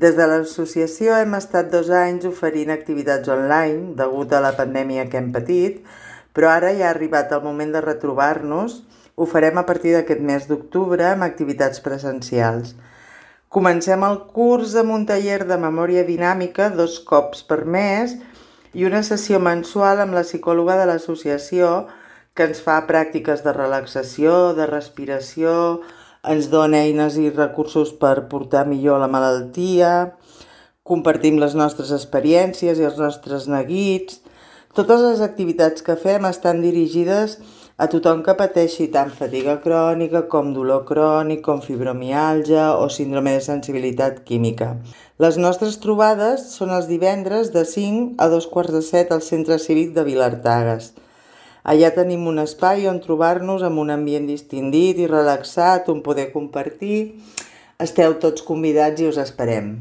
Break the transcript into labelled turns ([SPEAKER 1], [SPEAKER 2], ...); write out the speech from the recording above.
[SPEAKER 1] Des de l'associació hem estat 2 anys oferint activitats online degut a la pandèmia que hem patit, però ara ja ha arribat el moment de retrobar-nos. Ho farem a partir d'aquest mes d'octubre amb activitats presencials. Comencem el curs amb un taller de memòria dinàmica 2 cops per mes i una sessió mensual amb la psicòloga de l'associació que ens fa pràctiques de relaxació, de respiració, ens dona eines i recursos per portar millor la malaltia, compartim les nostres experiències i els nostres neguits. Totes les activitats que fem estan dirigides a tothom que pateixi tant fatiga crònica com dolor crònic, com fibromiàlgia o síndrome de sensibilitat química. Les nostres trobades són els divendres de 5 a 2:15 al Centre Cívic de Vilartagas. Allà tenim un espai on trobar-nos amb un ambient distendit i relaxat, on poder compartir. Esteu tots convidats i us esperem.